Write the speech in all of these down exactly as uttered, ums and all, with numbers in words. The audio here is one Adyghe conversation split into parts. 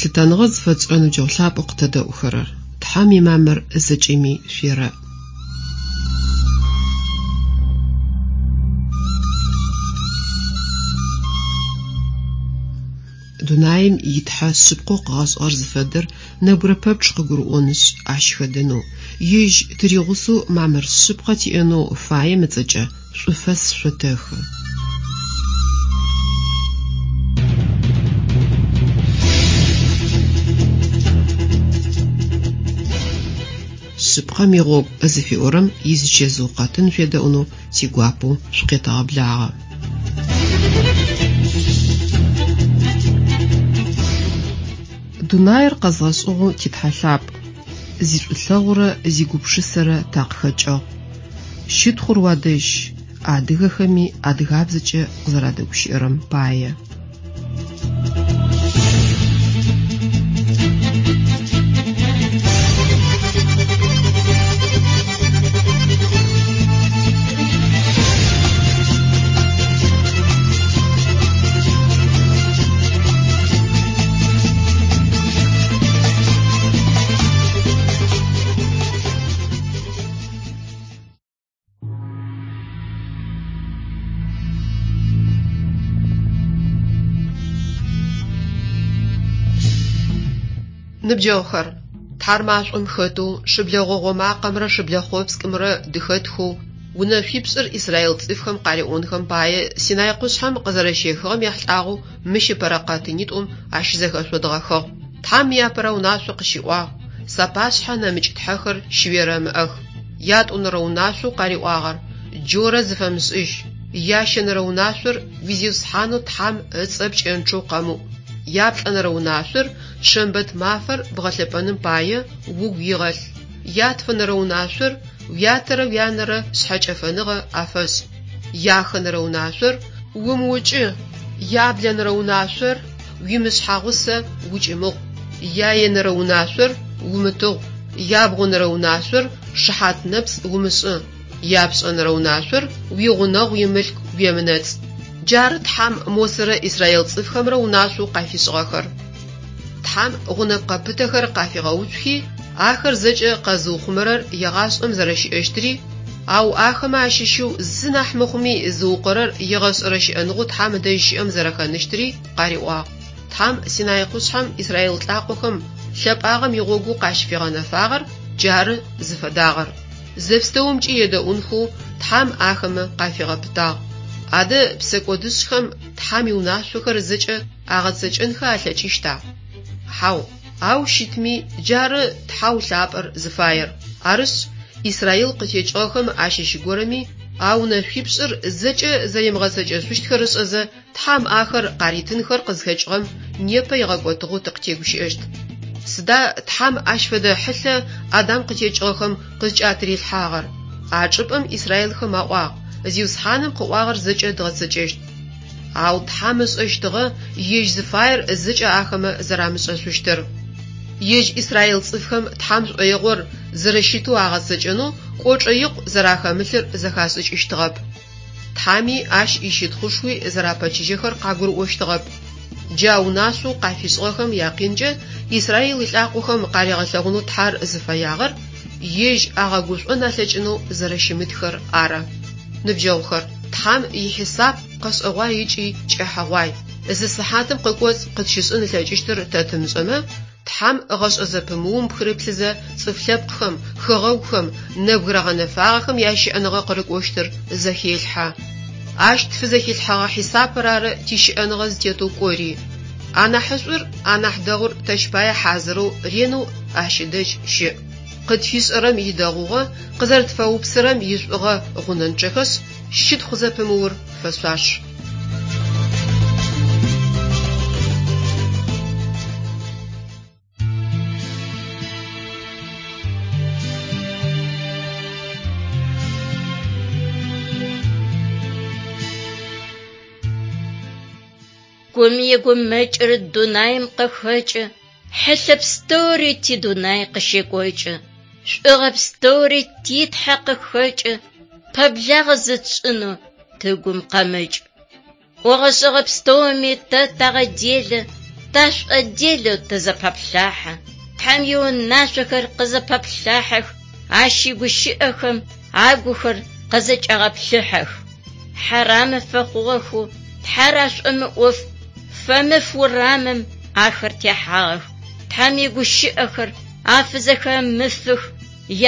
Лъытэныгъэ зыфэтшӏырэ ныбджэгъу лъапӏэу къытэдэӏухэрэр, Тхьэм имамыр зэкӏэми шъуерэӏ. Дунаим итхьэ шъыпкъэу къыгъэшӏыгъэр зыфэдэр нэбгырэ пэпчъ къыгурыӏонышъ, ащ хэдэнэу, ежь тыригъусэу мамыр шъыпкъэ тиӏэнэу фаем ыцӏэкӏэ шӏуфэс шъотэхы. Шъыпкъэм игъогу зыфиӏорэм изычэзыу къэтын шъуедэӏунэу тигуапэу шъукъетэгъэблагъэ. Дунаир къэзгъэшӏыгъэу титхьэ лъапӏ, зишӏулъэгъурэ зигупшысэрэ такъыхэкӏыгъ. Щытхъур уадэжь, адыгэхэми адыгабзэкӏэ къызэрадэгущыӏэрэм пае. Ныбджэгъухэр, Тхьэр машӏом хэтэу, шыблэ гъогъо макъэмрэ шыблэ хъопскӏымрэ дыхэтхэу, унэшъуипшӏыр израил цӏыфхэм къариӏонхэм пае Синай къушъхьэм къызэрэщехыгъэм ехьылӏагъэу мыщ ыпэрэ къэтынитӏум ащызэхэшъодгъэхыгъ. Тхьэм иапэрэ унашъо къыщиӏуагъ: «Сапашъхьэ нэмыкӏ тхьэхэр щыуерэмыӏэх». Ятӏонэрэ унашъоу къариӏуагъэр: «Джорэ зыфэмышӏыжь». Ящэнэрэ унашъор: «Уи Зиусхьанэу Тхьэм ыцӏэ пкӏэнчъэу къэмыӏу». Яплӏэнэрэ унашъор: «Шэмбэт мафэр бгъэлъэпӏэным пае угу игъэлъ». Ятфэнэрэ унашъор: «Уятэрэ уянэрэ шъхьэкӏэфэныгъэ афэшӏ». Яхэнэрэ унашъор: «Умыукӏы». Яблэнэрэ унашъор: «Уимышъхьагъусэ укӏымыгъу». Яенэрэ унашъор: «Умытыгъу». Ябгъонэрэ унашъор: «Шыхьат нэпцӏ умышӏы». Япшӏэнэрэ унашъор: «Уигъунэгъу имылъку уемынэцӏ». Джары Тхьэм Мосэрэ израил цӏыфхэмрэ унашъоу къафишӏыгъэхэр. Тхьэм гъунэпкъэ пытэхэр къафигъэуцухи, ахэр зэкӏэ къэзыухъумэрэр егъашӏэм зэрэщыӏэщтыри, ау ахэмэ ащыщэу зы нахь мыхъуми зыукъорэр егъэшӏэрэ щыӏэныгъэу Тхьэм ыдэжь щыӏэм зэрэхэныщтыри къариӏуагъ. Тхьэм Синай къушъхьэм израил лӏакъохэм лъэпӏагъэм игъогоу къащыфигъэнэфагъэр джары зыфэдагъэр. Зэпстэумкӏи едэӏунхэу Тхьэм ахэмэ къафигъэпытагъ. Адэ псэкӏодышӏхэм Тхьэм иунашъохэр зэкӏэ агъэцэкӏэнхэ алъэкӏыщта? Хьау, ау щытми джары Тхьэу лъапӏэр зыфаер. Арышъ, Израил къытекӏыгъэхэм ащыщ горэми а унэшъуипшӏыр зэкӏэ зэримыгъэцэкӏэшъущтхэр ышӏэзэ, Тхьэм ахэр къаритынхэр къызхэкӏыгъэм непэ игъэкӏотыгъэу тыкъытегущыӏэщт. Сыда Тхьэм ащ фэдэ хьылъэ Адам къытекӏыгъэхэм къызкӏатырилъхьагъэр? А чӏыпӏэм израилхэм аӏуагъ: Зиусхьаным къыӏуагъэр зэкӏэ дгъэцэкӏэщт. Ау Тхьэм ышӏэщтыгъэ ежь зыфаер зэкӏэ ахэмэ зэрамышӏэшъущтыр. Ежь израил цӏыфхэм Тхьэм шӏоигъор зэрэщытэу агъэцэкӏэнэу кӏочӏэ икъу зэрахэмылъыр зэхашӏыкӏыщтыгъэп. Тхьэми ащ ищытхъушхуи зэрапэчыжьэхэр къагурыӏощтыгъэп. Джа унашъоу къафишӏыгъэхэм якъинкӏэ Израил илӏакъохэм къаригъэлъэгъунэу Тхьэр зыфэягъэр ежь агъэгушӏон алъэкӏынэу зэрэщымытхэр ары. Ныбджэгъухэр, Тхьэм ихьисап къэшӏэгъуай ыкӏи кӏэхьэгъуай. Зы сыхьатым къыкӏоцӏ къытщышӏын ылъэкӏыщтыр тэ тымышӏэмэ, Тхьэм гъэшӏэ зэпымыум пхырыплъызэ цӏыф лъэпкъхэм, хэгъэгухэм, нэбгырэ гъэнэфагъэхэм ящыӏэныгъэ къырыкӏощтыр зэхелъхьэ. Ащ тфызэхилъхьэгъэ хьисапыр ары тищыӏэныгъэ зытетэу кӏори. Анахьышӏур, анахь дэгъур тэщ пае хьазырэу ренэу ащ ыдэжь щыӏ. Къытфишӏэрэм идэгъугъэ, къызэрэтфэупсэрэм ишӏугъэ гъунэнчъэхэшъ, щытхъу зэпымыур фэшъуаш. Гум игумэкӏыр дунаим къыхэкӏы, хьылъэ пстэури тидунай къыщекӏокӏы, шӏугъэ пстэури титхьэ къыхэкӏы, пэблагъэ зытшӏынэу тыгум къэмыкӏ. Ӏогъэшӏэгъэ пстэуми тэ тагъэделэ, Ташӏоделэу тызэпаплъахьэ. Тхьэм иунашъохэр къызэпаплъахьэх, ащ игущыӏэхэм агухэр къызэкӏагъэплъыхьэх. Хьарамэ фэхъугъэхэу Тхьэр ашӏомыӏоф, фэмыф урамым ахэр техьагъэх. Тхьэм игущыӏэхэр афызэхэмыфых,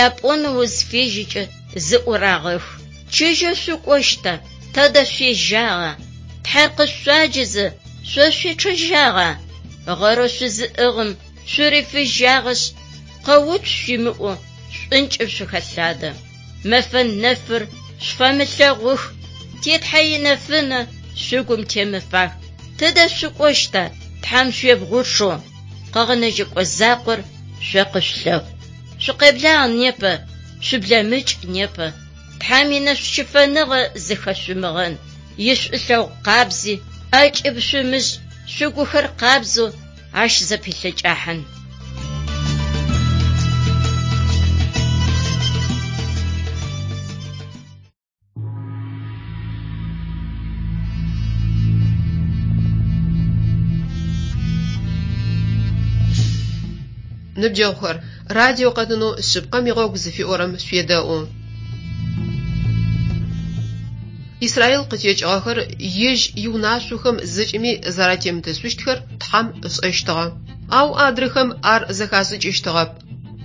япӏонэу узфежьэкӏэ зыӏурагъэх. Чыжьэ шъукӏощта, тэдэ шъуежьагъа? Тхьэр къышъуаджэзэ шъо шъуечъэжьагъа? Гъэрэу шъузыӏыгъым шъурифыжьагъэшъ, къэуцу шъуимыӏэу шӏункӏым шъухэлъадэ. Мэфэ нэфыр шъуфэмылъэгъух, ти Тхьэ инэфынэ шъугум темыфах. Тыдэ шъукӏощта, Тхьэм шъуебгъучъэу, къэгъэнэжьэкӏо закъор шъо къышъулъэхъу. Шъукъеблагъ непэ, шъублэмыкӏ непэ. Тхьэм инэшӏущыфэныгъэ зыхэшъумыгъэн, ишӏулъэгъу къабзи, ӏэкӏыб шъумышӏ, шъугухэр къабзэу ащ зэпилъэкӏахьын. Ныбджэгъухэр, радио къэтынэу шъыпкъэм игъогу зыфиӏорэм шъуедэӏу. Израил къытекӏыгъэхэр ежь иунашъохэм зэкӏэми зэратемытышъущтхэр Тхьэм ышӏэщтыгъэ. Ау адрэхэм ар зэхашӏыкӏыщтыгъэп.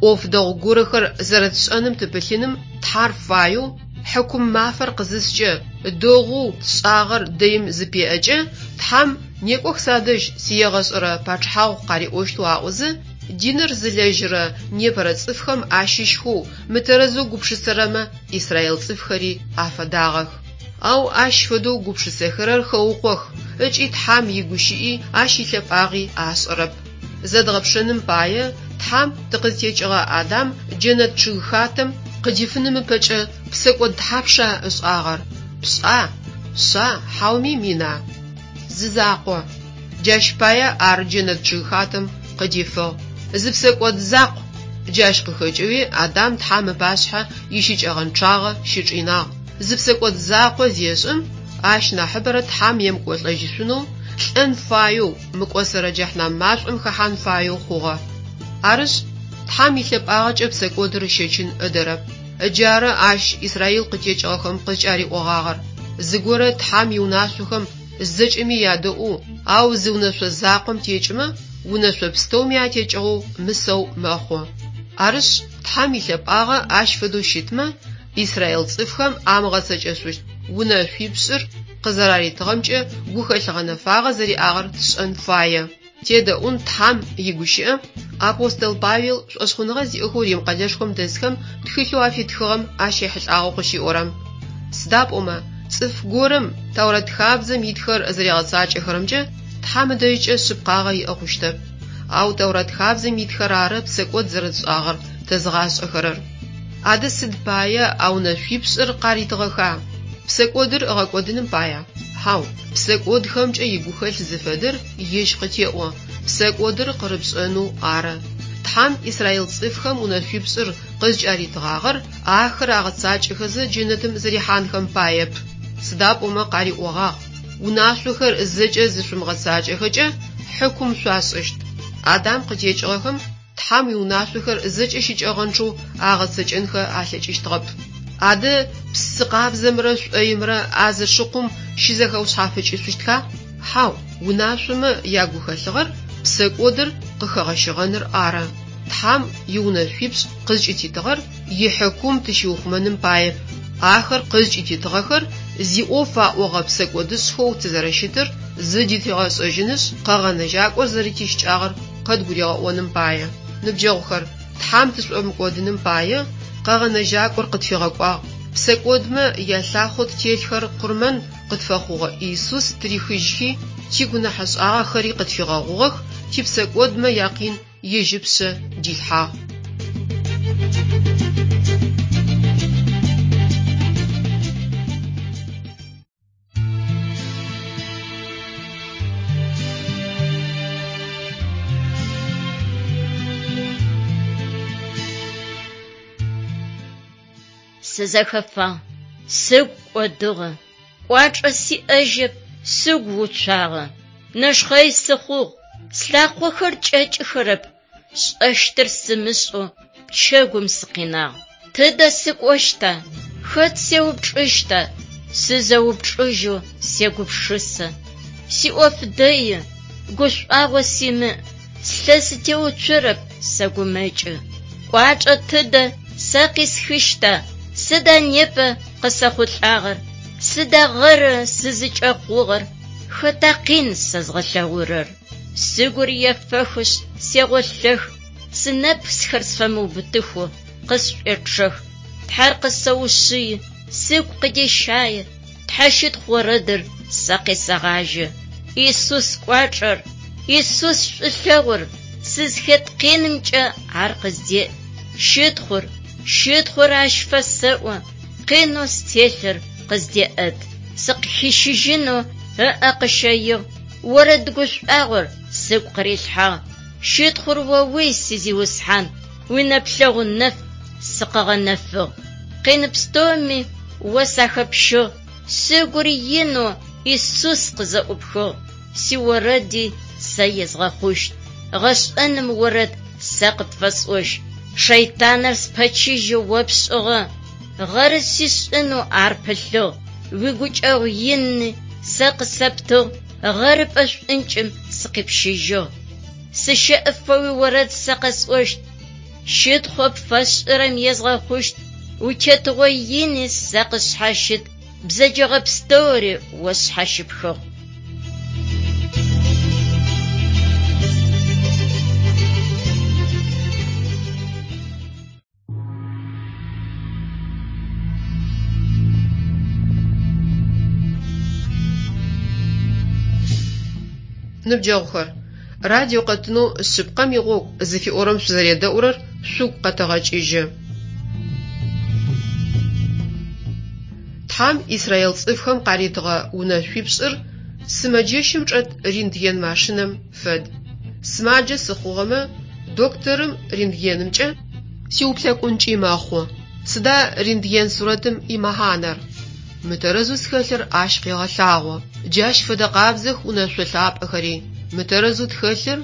Ӏоф дэгъу горэхэр зэрэтшӏэным тыпылъыным Тхьэр фаеу, хьыкум мафэр къызыскӏэ, дэгъоу тшӏагъэр дэим зыпеӏэкӏэ, Тхьэм «Некӏох садэжь, сиегъэшӏэрэ пачъыхьагъу» къариӏощтэу аӏозэ, диныр зылэжьырэ непэрэ цӏыфхэм ащыщхэу мытэрэзэу гупшысэрэмэ израил цӏыфхэри афэдагъэх. Ау ащ фэдэу гупшысэхэрэр хэукъох ыкӏи Тхьэм игущыӏи ащ илъэпӏагъи ашӏэрэп. Зэдгъэпшэным пае Тхьэм тыкъызтекӏыгъэ Адам джэнэт чъыгхатэм къыдифыным ыпэкӏэ псэкӏод тхьапша ышӏагъэр? Пшӏа? Шъа? Хьауми мина? Зы закъо. Джащ пае ар джэнэт чъыгхатэм къыдифыгъ. Зы псэкӏод закъу. Джащ къыхэкӏэуи Адам Тхьэм ыпашъхьэ ищыкӏэгъэнчъагъэ щычӏинагъ. Зы псэкӏод закъо зешӏым, ащ нахьыбэрэ Тхьэм емыкӏолӏэжьышъунэу, лӏэн фаеу, мыкӏосэрэ джэхьнам машӏом хэхьан фаеу хъугъэ. Арышъ, Тхьэм илъэпӏагъэкӏэ псэкӏодыр ыщэчын ыдэрэп. Ыджары ащ Израил къытекӏыгъэхэм къызкӏариӏогъагъэр. Зыгорэ Тхьэм иунашъохэм зэкӏэми ядэӏоу, ау зы унэшъо закъом текӏымэ, унэшъо пстэуми атекӏыгъэу мысэу мэхъу. Арышъ, Тхьэм илъэпӏагъэ ащ фэдэу щытмэ, Израил цӏыфхэм амыгъэцэкӏэшъущт унэшъуипшӏыр къызэраритыгъэмкӏэ гухэлъ гъэнэфагъэ зэриӏагъэр тшӏэн фае. Тедэӏун Тхьэм игущыӏэ апостол Павел шӏошъхъуныгъэ зиӏэхэу Рим къэлэшхом дэсхэм тхылъэу афитхыгъэм ащ ехьылӏагъэу къыщиӏорэм. Сыда пӏомэ, цӏыф горэм Тэурэт хабзэм итхэр зэригъэцакӏэхэрэмкӏэ Тхьэм ыдэжькӏэ шъыпкъагъэ иӏэ хъущтэп. Ау Тэурэт хабзэм итхэр ары псэкӏод зэрэтшӏагъэр тэзыгъашӏэхэрэр. Адэ сыд пае а унэшъуипшӏыр къаритыгъэха? Псэкӏодыр ыгъэкӏодыным пая? Хьау, псэкӏодхэмкӏэ игухэлъ зыфэдэр ежь къытеӏо, псэкӏодыр къырыпшӏэнэу ары. Тхьэм Израил цӏыфхэм унэшъуипшӏыр къызкӏаритыгъагъэр ахэр агъэцакӏэхэзэ джэнэтым зэрихьанхэм паеп. Сыда пӏомэ къариӏогъагъ: унашъохэр зэкӏэ зышъумыгъэцакӏэхэкӏэ хьыкум шъуашӏыщт. Адам къытекӏыгъэхэм Тхьэм иунашъохэр зэкӏэ щыкӏэгъэнчъэу агъэцэкӏэнхэ алъэкӏыщтыгъэп. Адэ псы къабзэмрэ шӏоимрэ а зы шыкъум щызэхэушъхьафыкӏышъущтха? Хьау, унашъомэ ягухэлъыгъэр псэкӏодыр къыхэгъэщыгъэныр ары. Тхьэм иунэшъуипшӏ къызкӏытитыгъэр ихьыкум тыщиухъумэным паеп. Ахэр къызкӏытитыгъэхэр зиӏоф аӏогъэ псэкӏодышӏхэу тызэрэщытыр зыдытигъэшӏэжьынышъ, къэгъэнэжьакӏор зэрэтищыкӏагъэр къыдгуригъэӏоным пае. Ныбджэгъухэр, Тхьэм тышӏомыкӏодыным пае къэгъэнэжьакӏор къытфигъэкӏуагъ. Псэкӏодмэ ялъахъо ттелъхэр къурмэн къытфэхъугъэ Иисус тырихыжьхи, тигунэхьэшӏагъэхэри къытфигъэгъугъэх, типсэкӏодмэ якъин ежь ыпшъэ дилъхьагъ. Сызэхэфагъ, сыгу кӏодыгъэ, кӏуачӏэ сиӏэжьэп, сыгу уцуагъэ. Нэшхъэй сыхъугъ, Слъакъохэр кӏэкӏыхэрэп, сшӏэщтыр сымышӏэу пчэгум сыкъинагъ. Тыдэ сыкӏощта? Хэт сеупчӏыщта? Сызэупчӏыжьэу сегупшысэ. Сиӏоф дэи, гушӏуагъо симыӏ, слъэ сытеуцорэп, сэгумэкӏы. Кӏуачӏэ тыдэ сэ къисхыщта? Сыда непэ къысэхъулӏагъэр? Сыда гъэры сызыкӏэхъугъэр? Хэта къин сэзгъэлъэгъурэр? Сыгур ефэхышъ, сегъолъэх, сынэпсхэр сфэмыубытыхэу къысшӏуечъэх. Тхьэр къысэушъыи, сыгу къыдещае, Тхьэ щытхъу орэдыр сэ къесэгъажьэ. Исус кӏуачӏэр, Исус шӏулъэгъур, сызхэт къинымкӏэ ар къыздеӏ. Щытхъур, щытхъур ащ фэсэӏо, къинэу стелъыр къыздеӏэт. Сыкъыхищыжьынэу ыӏэ къыщэигъ, орэд гушӏуагъор сыгу къырилъхьагъ. Щытхъур оуи, си Зиусхьан, уинэплъэгъу нэф сыкъыгъэнэфыгъ. Къин пстэуми о сахэпщыгъ, сыгур инэу Исус къызэӏупхыгъ. Сиорэди сэ езгъэхъущт, гъэшӏэным орэд сэ къыпфэсӏощт. Шэйтаныр спэчыжьэу о пшӏыгъэ, гъэры сишӏынэу ар пылъыгъ. Уигукӏэгъу ини сэ къысэптыгъ, гъэрыпӏэ шӏункӏым сыкъипщыжьыгъ. Сыщэӏыфэ уиорэд сэ къэсӏощт, щытхъоу пфэсшӏырэм езгъэхъущт. Утетыгъо ини сэ къысшъхьащыт, бзэджэгъэ пстэури о сшъхьащыпхыгъ. Ныбджэгъухэр, радио къэтынэу «Шъыпкъэм игъогу» зыфиӏорэм шъузэредэӏурэр шъугу къэтэгъэкӏыжьы. Тхьэм Израил цӏыфхэм къаритыгъэ унэшъуипшӏыр сымэджэщым чӏэт рентген машинэм фэд. Сымаджэ сыхъугъэмэ, докторым рентгенымкӏэ сиуплъэкӏункӏи мэхъу. Сыда рентген сурэтым имэхьанэр? Мытэрэзэу схэлъыр ащ къегъэлъагъо. Джащ фэдэ къабзэх унэшъо лъапӏэхэри. Мытэрэзэу тхэлъыр,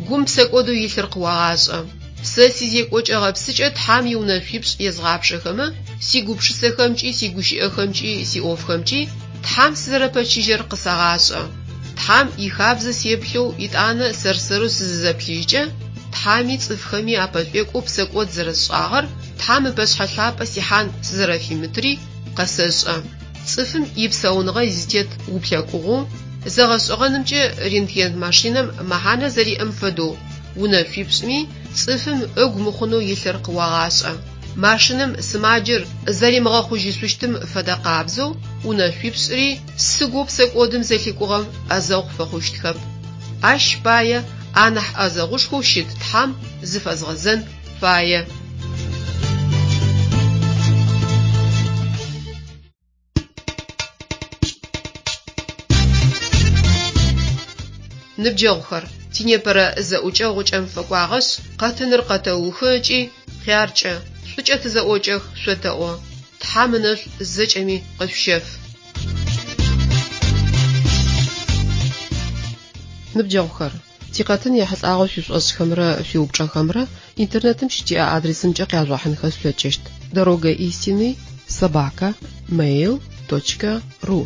гум псэкӏодэу илъыр къыуагъашӏэ. Сэ сизекӏокӏэ гъэпсыкӏэ Тхьэм иунэшъуипшӏ езгъапшэхэмэ, сигупшысэхэмкӏи, сигущыӏэхэмкӏи, сиӏофхэмкӏи Тхьэм сызэрэпэчыжьэр къысагъашӏэ. Тхьэм ихабзэ сеплъэу итӏанэ сэр-сэрэу сызызэплъыжькӏэ, Тхьэми цӏыфхэми апэшӏуекӏоу псэкӏод зэрэсшӏагъэр, Тхьэм ыпэшъхьэ лъапӏэ сихьан сызэрэфимытри къэсэшӏэ. Цӏыфым ипсауныгъэ изытет уплъэкӏугъэу, зэгъэшӏэгъэнымкӏэ рентген машинэм мэхьанэ зэриӏэм фэдэу, унэшъуипшӏми цӏыфым ыгу мыхъунэу илъыр къыуагъашӏэ. Машинэм сымаджэр зэримыгъэхъужьышъущтым фэдэ къабзэу, унэшъуипшӏри сыгоу псэкӏодым зэлъикӏугъэм ӏэзэгъу фэхъущтхэп. Ащ пае анахь ӏэзэгъушхоу щыт Тхьэм зыфэзгъэзэн фае. Ныбджэгъухэр, тинепэрэ зэӏукӏэ гъукӏэм фэкӏуагъэшъ, къэтыныр къэтэухы ыкӏи хъяркӏэ, шӏукӏэ тызэӏокӏэх шъотэӏо. Тхьэм ынэшӏу зэкӏэми къышъущеф. Ныбджэгъухэр, тикъэтын ехьылӏагъэу шъуишӏошӏхэмрэ шъуиупчӏэхэмрэ интернетым щытиӏэ адресымкӏэ къяжъугъэхьынхэ шъулъэкӏыщт: дорога истины собака mail точка ру.